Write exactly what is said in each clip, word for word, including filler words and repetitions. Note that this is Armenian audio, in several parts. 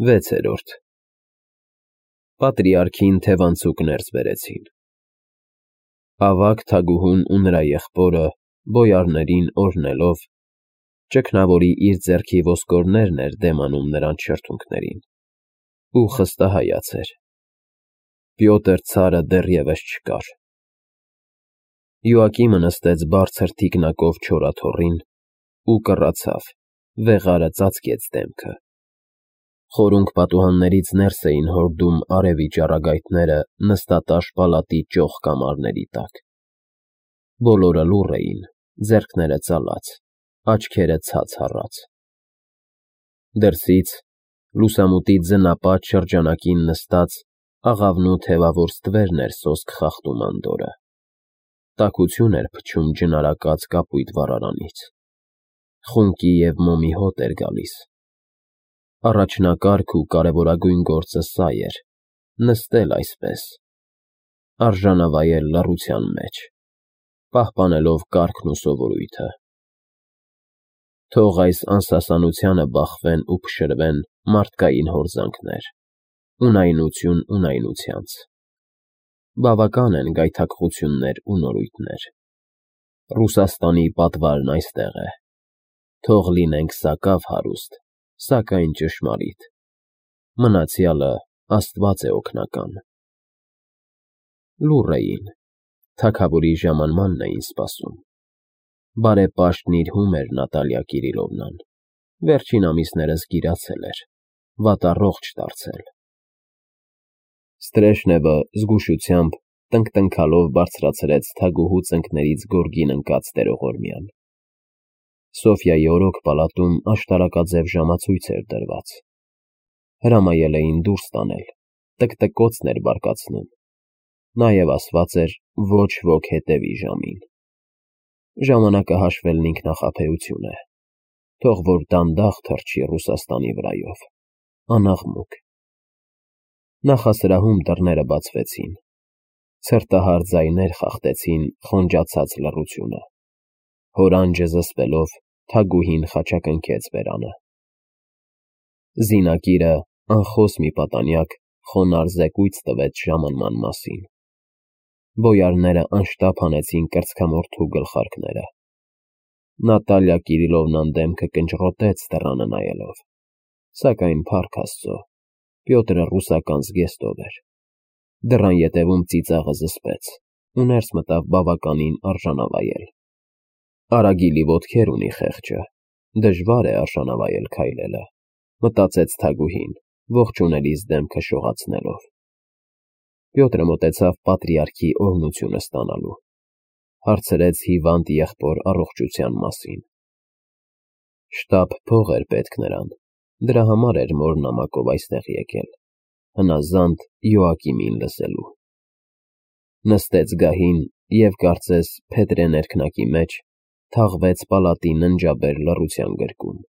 վեցերորդ Պատրիարքին թևանցուկ ներս բերեցին։ Ավագ թագուհուն ու նրա եղբորը, բոյարներին օրհնելով, ճգնավորի իր ձեռքի ոսկորներն էր դեմ անում նրանց շրթունքներին, ու խստահայաց էր։ Պյոտր ցարը դեռևս չկար։ Յոակիմը նստեց բարձր թիկնակով չորաթոռին ու կռացավ, վեղարը ծածկեց դեմքը։ Խորունգ պատուհաններից ներս էին հորդում արևի ճառագայթները նստատաշ պալատի ճոխ կամարների տակ։ Բոլորը լուռ էին, ձեռքները ծալած, աչքերը ցած հառած։ Դրսից, լուսամուտի ձնապատ շրջանակին նստած, աղավնու թևավոր ստվերն էր սոսկ խախտում անդորրը։ Տաքություն էր փչում ջնարակած կապույտ վառարանից։ Խունկի և մոմի հոտ էր գալիս։ Առաջնակարգ ու կարևորագույն գործը սա էր՝ նստել այսպես, արժանավայել լռության մեջ, պահպանելով կարգն ու սովորույթը։ Թող այս անսասանությանը բախվեն ու փշրվեն մարդկային հորձանքներ, ունայնություն ունայնությանց։ Բավական են գայթակղություններ ու նորույթներ։ Ռուսաստանի պատվարն այստեղ է։ Թող լինենք սակավ հարուստ, սակայն ճշմարիտ։ Մնացյալը Աստված է օգնական։ Լուռ էին, թագավորի ժամանմանն էին սպասում։ Բարեպաշտն իր հում էր Նատալիա Կիրիլովնան, վերջին ամիսներս գիրացել էր, վատառողջ դարձել։ Ստրեժնևը զգուշությամբ տնկտնքալով բարձրացրեց թագուհու ծնկներից գորգին ընկած տերողորմյան։ Սոֆյայի օրոք պալատում աշտարակաձև ժամացույց էր դրված։ Հրամայել էին դուրս տանել, տկտկոցն էր բարկացնում։ Նաև ասված էր ոչ ոք հետևի ժամին։ Ժամանակը հաշվելն ինքնախաբեություն է։ Թող որ դանդաղ թռչի Ռուսաստանի վրայով, անաղմուկ։ Նախասրահում դռները բացվեցին։ Ցրտահար ձայներ խախտեցին խոնջացած լռությունը։ Հորանջը զսպելով, թագուհին խաչակնքեց բերանը։ Զինակիրը, անխոս մի պատանյակ, խոնարհ զեկույց տվեց ժամանման մասին։ Բոյարները անշտապ հանեցին կրծքամորթու գլխարկները։ Նատալիա Կիրիլովնան դեմքը կնճռոտեց դռանը նայելով, սակայն փառք Աստծո, Պյոտրը ռուսական զգեստով էր։ Դռան ետևում ծիծաղը զսպեց ու ներս մտավ բավականին արժանավայել։ Արագիլի ոտքեր ունի խեղճը, դժվար է արժանավայել քայլելը, մտածեց թագուհին, ողջունելիս դեմքը շողացնելով։ Պյոտրը մոտեցավ պատրիարքի օրհնությունը ստանալու։ Հարցրեց հիվանդ եղբոր առողջության մասին։ Շտապ փող էր պետք նրան, դրա համար էր մոր նամակով այստեղ եկել, հնազանդ Յոակիմին լսելու։ Նստեց գահին և, կարծես փետրե ներքնակի մեջ, թաղվեց պալատի ննջաբեր լռության գրկում,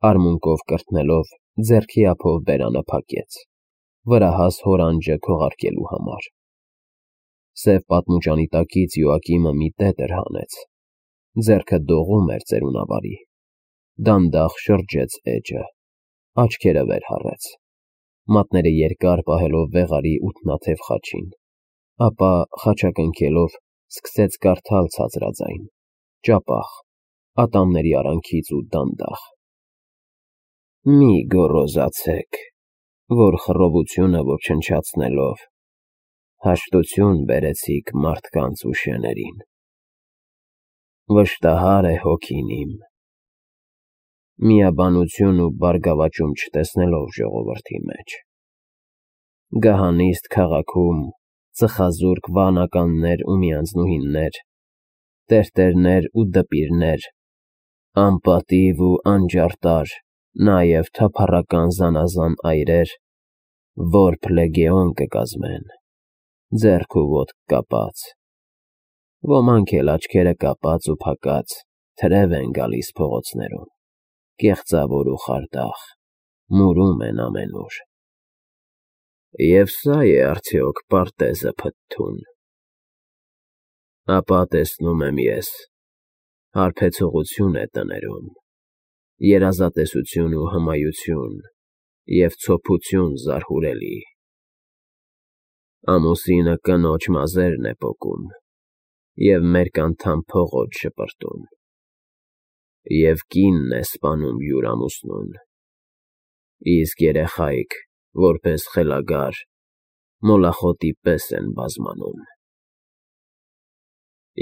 արմունկով կրթնելով, ձեռքի ափով բերանը փակեց, վրահաս հորանջը քողարկելու համար։ Սև պատմուճանի տակից Յոակիմը մի տետր հանեց, ձեռքը դողում էր ծերունավարի, դանդաղ շրջեց էջը, աչքերը վեր հառեց, մատները երկար պահելով վեղարի ութնաթև խաչին, ապա խաչակնքելով սկսեց կարդալ ցածրաձայն, ճապախ, ատամների արանքից ու դանդաղ. Մի գոռոզացեք, որ խռովությունը ոչնչացնելով հաշտություն բերեցիք մարդկանց ու շեներին։ Վշտահար է հոգին իմ, միաբանություն ու բարգավաճում չտեսնելով ժողովրդի մեջ։ Գահանիստ քաղաքում ծխազուրկ վանականներ ու միանձնուհիներ, տերտերներ ու դպիրներ, անպատիվ ու անջարտար, նաև թափառական զանազան այրեր, որբ լեգեոն կկազմեն, ձեռք ու ոտք կապած, ոմանք էլ աչքերը կապած ու փակած, թրև են գալիս փողոցներում, կեղծավոր ու խարդախ, մուրում են ամենուր։ Եվ սա է արդյոք պարտեզը փթթուն։ Ապա տեսնում եմ ես, հարբեցողություն է տներում, երազատեսություն ու հմայություն, և ցոփություն զարհուրելի։ Ամուսինը կնոջ մազերն է պոկում և մերկ անդամ փողոց շպրտում, և կինն է սպանում յուր ամուսնուն, իսկ երեխայք, որպես խելագար, մոլախոտի պես են բազմանում։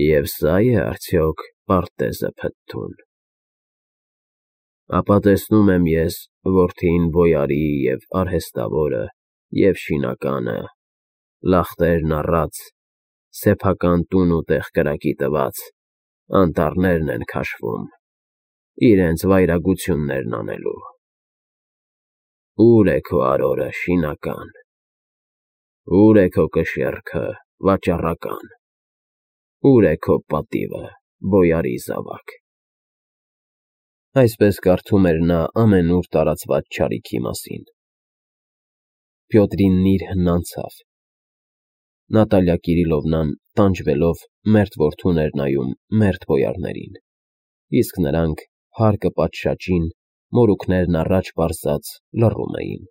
Եվ սա՞ է արդյոք պարտեզը փթթուն։ Ապա տեսնում եմ ես որդին բոյարի և արհեստավորը և շինականը, լախտերն առած, սեփական տուն ու տեղ կրակի տված, անտառներն են քաշվում, իրենց վայրագություններն անելու։ Ո՞ւր է քո արորը, շինական, ո՞ւր է քո կշեռքը, վաճառական, ո՞ւր է քո պատիվը, բոյարի զավակ։ Այսպես կարդում էր նա ամենուր տարածված չարիքի մասին։ Պյոտրին նիրհն անցավ։ Նատալիա Կիրիլովնան, տանջվելով, մերթ որդուն էր նայում մերթ բոյարներին, իսկ նրանք, հարկը պատշաճին, մորուքներն առաջ պարզած, լռում էին։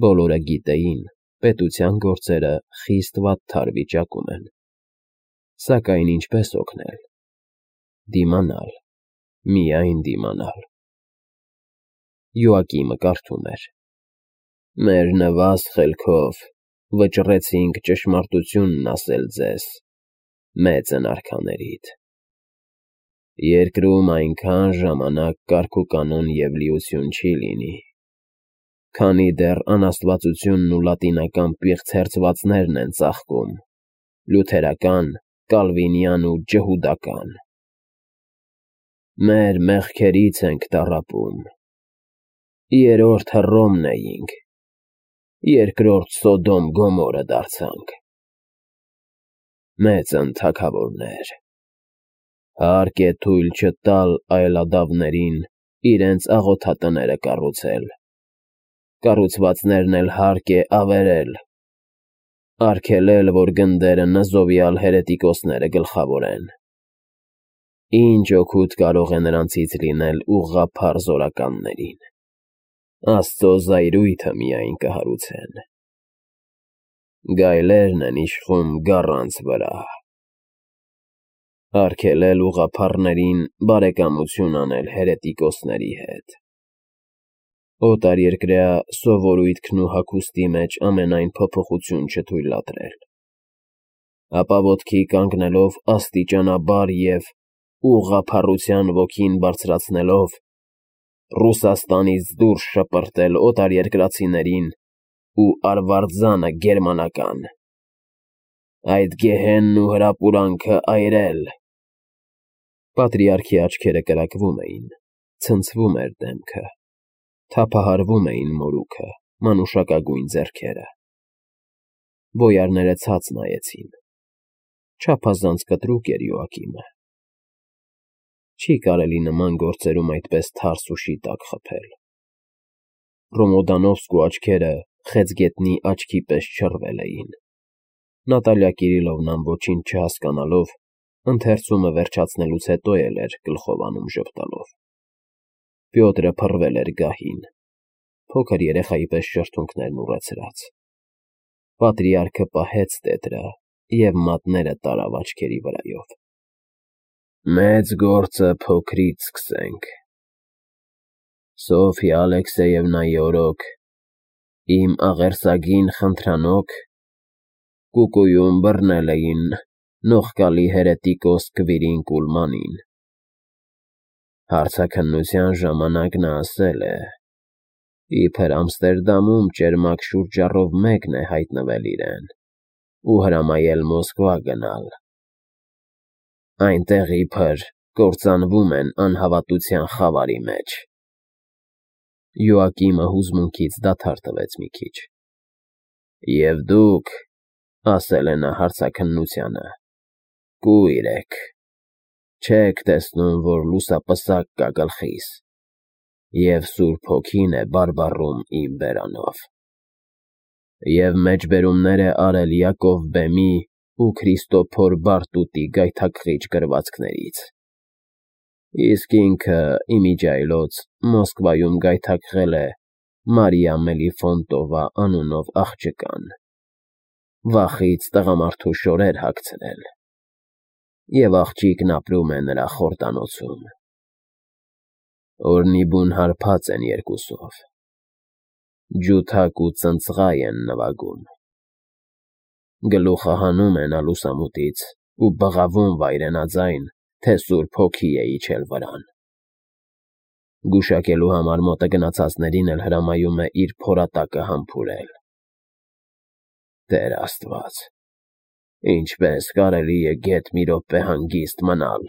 Բոլորը գիտեին, պետության գործերը խիստ վատթար վիճակում են։ Սակայն ինչպե՞ս օգնել։ Դիմանալ, միայն դիմանալ։ Յոակիմը կարդում էր. «Մեր նվազ խելքով վճռեցինք ճշմարտությունն ասել ձեզ, մեծն արքաներիդ։ Երկրում այնքան ժամանակ կարգուկանոն և լիություն չի լինի, քանի դեռ անաստվածությունն ու լատինական պիղծ հերձվածներն են ծաղկում, լյութերական, կալվինյան ու ջհուդական։ Մեր մեղքերից ենք տառապում։ Երրորդ Հռոմն էինք, երկրորդ Սոդոմ Գոմորը դարձանք։ Մեծն թագավորներ, հարկ է թույլ չտալ այլադավներին իրենց աղոթատները կառուցել, կառուցվածքներն էլ հարկ է ավերել, արգելել, որ գնդերը նզովյալ հերետիկոսները գլխավորեն։ Ինչ օգուտ կարող է նրանցից լինել ուղղափառ զորականներին։ Աստծո զայրույթը միայն կհարուցեն։ Գայլերն են իշխում գառանց վրա։ Արգելել ուղղափառներին բարեկամություն անել հերետիկոսների հետ։ Օտարերկրյա սովորույթքն ու հագուստի մեջ ամենայն փոփոխություն չթույլատրել։ Ապա ոտքի կանգնելով աստիճանաբար և ուղղափառության ոգին բարձրացնելով, Ռուսաստանից դուրս շպրտել օտարերկրացիներին ու արվարձանը գերմանական, այդ գեհենն ու հրապուրանքը այրել։ Պատրիարքի աչքերը կրակվում էին, ցնցվում էր դեմքը, թափահարվում էին մորուքը, մանուշակագույն ձեռքերը։ Բոյարները ցած նայեցին։ Չափազանց կտրուկ էր Յոակիմը։ Չի կարելի նման գործերում այդպես թարս ու շիտակ խփել։ Ռոմոդանովսկու աչքերը խեցգետնի աչքի պես չռվել էին։ Նատալիա Կիրիլովնան ոչինչ չհասկանալով, ընթերցումը վերջացնելուց հետո էլ էր գլխով անում ժպտալով։ Պյոտրը փռվել էր գահին, փոքր երեխայի պես շրթունքներն ուռեցրած։ Պատրիարքը պահեց տետրը և մատները տարավ աչքերի վրայով։ Մեծ գործը փոքրից սկսենք։ Սոֆյա Ալեքսեևնայի օրոք, իմ աղերսագին խնդրանոք, կուկուում բռնել էին նողկալի հերետիկոս Կվիրինկ Ուլմանին։ Հարցաքննության ժամանակ նա ասել է, իբր Ամստերդամում ճերմակ շուրճառով մեկն է հայտնվել իրեն ու հրամայել Մոսկվա գնալ։ Այնտեղ իբր կործանվում են անհավատության խավարի մեջ։ Յոակիմը հուզմունքից դադար տվեց մի քիչ։ Եվ դուք, ասել է նա հարցաքննությանը, կույր եք, չեք տեսնում, որ լուսապսակ կա գլխիս, և Սուրբ Հոգին է բարբառում իմ բերանով։ Եվ մեջբերումներ է արել Յակով բեմի ու Քրիստոփոր Բարտուտի գայթակղիչ գրվածքներից, իսկ ինքը իմիջիայլոց Մոսկվայում գայթակղել է Մարիա Մելիֆոնտովա անունով աղջկան, վախից տղամարդու շորեր հագցրել, և աղջիկն ապրում է նրա խորդանոցում։ Օրնի բուն հարբած են երկուսով, ջութակ ու ծնծղայ են նվագում, գլուխը հանում են ալուսամուտից ու բղավում վայրենաձայն, թե սուրբ հոգի է իջել վրան։ Գուշակելու համար մոտը գնացածներին էլ հրամայում է իր փորատակը համբուրել։ Տեր Աստված, ինչպե՞ս կարելի է գեթ մի րոպե հանգիստ մնալ,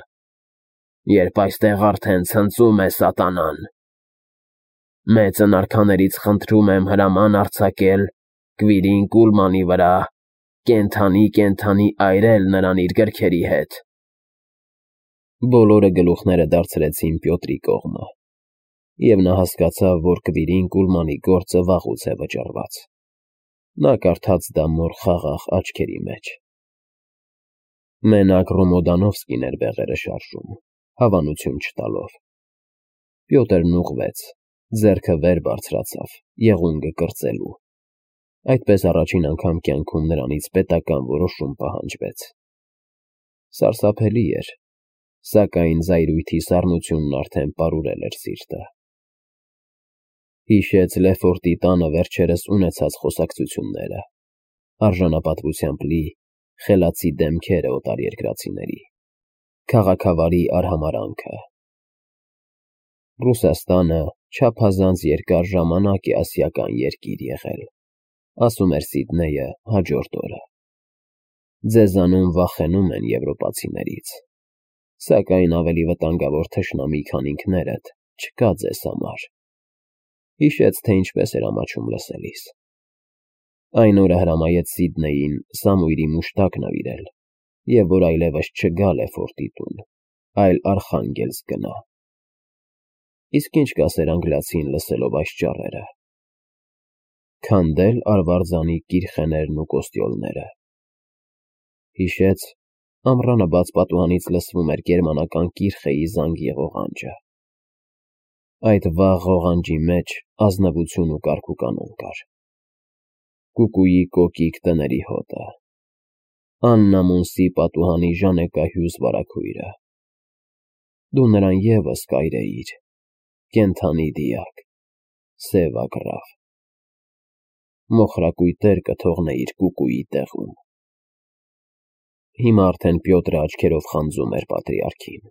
երբ այստեղ արդեն ցնծում է սատանան։ Մեծն արքաներից խնդրում եմ հրաման արձակել Կվիրին Կուլմանի վրա, կենդանի֊կենդանի այրել նրան իր գրքերի հետ։ Բոլորը գլուխները դարձրեցին Պյոտրի կողմը, և նա հասկացավ, որ Կվիրին Կուլմանի գործը վաղուց է վճռված։ Նա կարդաց դա մոր խաղաղ աչքերի մեջ։ Մենակ Ռոմոդանովսկին էր բեղերը շարժում, հավանություն չտալով։ Պյոտրն ուղղվեց, ձեռքը վեր բարձրացավ, եղունգը կրծելու։ Այդպես առաջին անգամ կյանքում նրանից պետական որոշում պահանջվեց։ Սարսափելի էր, սակայն զայրույթի սառնությունն արդեն պարուրել էր սիրտը։ Հիշեց Լեֆորտի տանը վերջերս ունեցած խոսակցությունները, արժանապատվությամբ լի, խելացի դեմքերը օտարերկրացիների, քաղաքավարի արհամարհանքը։ Ռուսաստանը չափազանց երկար ժամանակ է ասիական երկիր եղել, ասում էր Սիդնեյը հաջորդ օրը։ Ձեզանում վախենում են եվրոպացիներից, սակայն ավելի վտանգավոր թշնամի, քան ինքներդ, չկա ձեզ համար։ Հիշեց, թե ինչպես էր ամաչում լսելիս։ Այն օրը հրամայեց Սիդնեյին Սամուիրի մուշտակ նվիրել, և որ այլևս չգա Լեֆորտի տուն, այլ Արխանգելսկ գնա։ Իսկ ինչ կասեր անգլիացին լսելով այս ճառերը։ Քանդել արվարձանի կիրխեներն ու կոստյոլները։ Հիշեց, ամռանը բաց պատուհանից լսվում էր գերմանական կիրխեի զանգի ղողանջը։ Այդ վաղ ղողանջի մեջ ազնվություն ու կարգուկանոն կար։ Կուկուի կոկիկ տների հոտը, Աննա Մունսի պատուհանի ժանեկահյուզ վարագույրը։ Դու նրան ևս կայրեիր, կենդանի դիակ, սև ագռավ։ Մոխրակույտեր կթողնեիր կուկուի տեղում։ Հիմա արդեն Պյոտրը աչքերով խանձում էր պատրիարքին,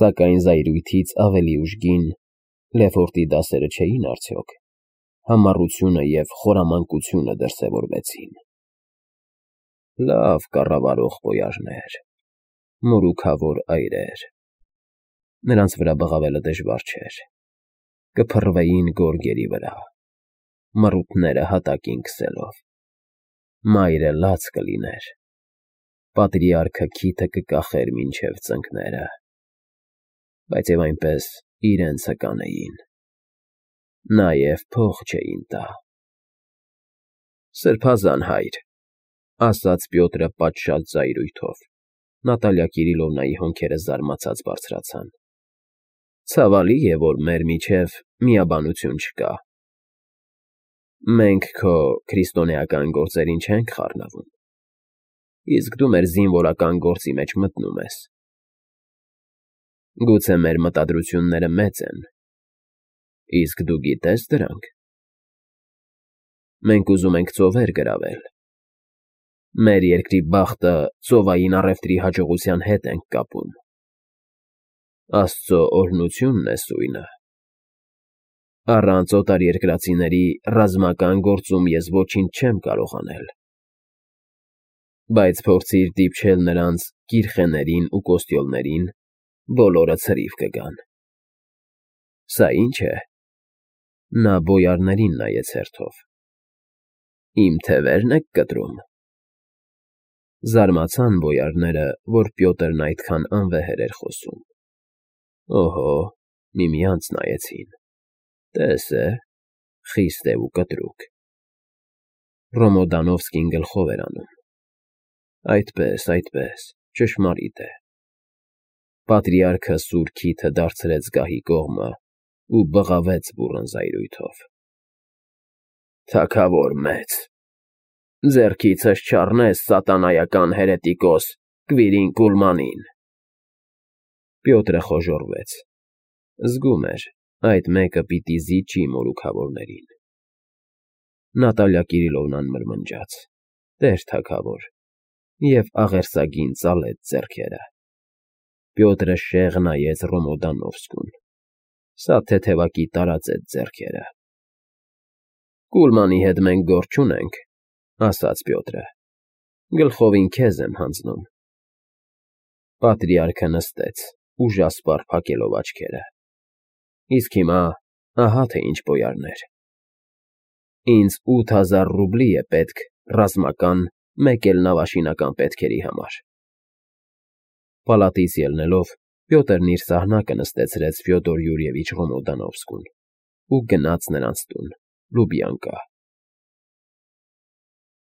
սակայն զայրույթից ավելի ուժգին Լեֆորտի դասերը չէին արդյոք, համառությունը և խորամանկությունը դրսևորվեցին։ Լավ կառավարող բոյարներ, մորուքավոր այրեր։ Նրանց վրա բղավելը դժվար չէր, կփռվեին գորգերի վրա, մռութները հատակին քսելով, մայրը լաց կլիներ, պատրիարքը քիթը կկախեր մինչև ծնկները, բայց և այնպես իրենցը կանեին, նաև փող չէին տա։ Սրբազան հայր, ասաց Պյոտրը պատշաճ զայրույթով։ Նատալիա Կիրիլովնայի հոնքերը զարմացած բարձրացան։ Ցավալի է, որ մեր միջև միաբանություն չկա։ Մենք քո քրիստոնեական գործերին չենք խառնվում, իսկ դու մեր զինվորական գործի մեջ մտնում ես։ Գուցե մեր մտադրությունները մեծ են, իսկ դու գիտե՞ս դրանք։ Մենք ուզում ենք ծովեր գրավել։ Մեր երկրի բախտը ծովային առևտրի հաջողության հետ ենք կապում։ Աստծո օրհնությունն է սույնը։ Առանց օտարերկրացիների ռազմական գործում ես ոչինչ չեմ կարող անել։ Բայց փորձիր դիպչել նրանց կիրխեներին ու կոստյոլներին, բոլորը ցրիվ կգան։ Սա ի՞նչ է։ Նա բոյարներին նայեց հերթով։ Իմ թևերն եք կտրում։ Զարմացան բոյարները, որ Պյոտրն այդքան անվեհեր էր խոսում։ Օհո, միմյանց նայեցին։ Տես է, խիստ է ու կտրուկ։ Ռոմոդանովսկին գլխով էր անում։ Այդպես, այդպես, ճշմարիտ է։ Պատրիարքը սուր քիթը դարձրեց գահի կողմը ու բղավեց բուռն զայրույթով։ Թագավոր մեծ, ձեռքիցս չառնես սատանայական հերետիկոս Կվիրին Կուլմանին… Պյոտրը խոժոռվեց, զգում էր, այդ մեկը պիտի զիջի մորուքավորներին… Նատալիա Կիրիլովնան մրմնջաց. Տեր թագավոր, և աղերսագին ծալեց ձեռքերը… Պյոտրը շեղ նայեց Ռոմոդանովսկուն. սա թեթևակի տարածեց ձեռքերը… Կուլմանի հետ մենք գործ չունենք, ասաց Պյոտրը, գլխովին քեզ եմ հանձնում… Պատրիարքը նստեց, ուժասպառ փակելով աչքերը. Իսկ հիմա ահա թե ինչ բոյարներ… Ինձ ութ հազար ռուբլի է պետք ռազմական, մեկ էլ նավաշինական պետքերի համար… Պալատից ելնելով՝ Պյոտրն իր սահնակը նստեցրեց Ֆյոդոր Յուրիևիչ Ռոմոդանովսկուն ու գնաց նրանց տուն, Լուբյանկա։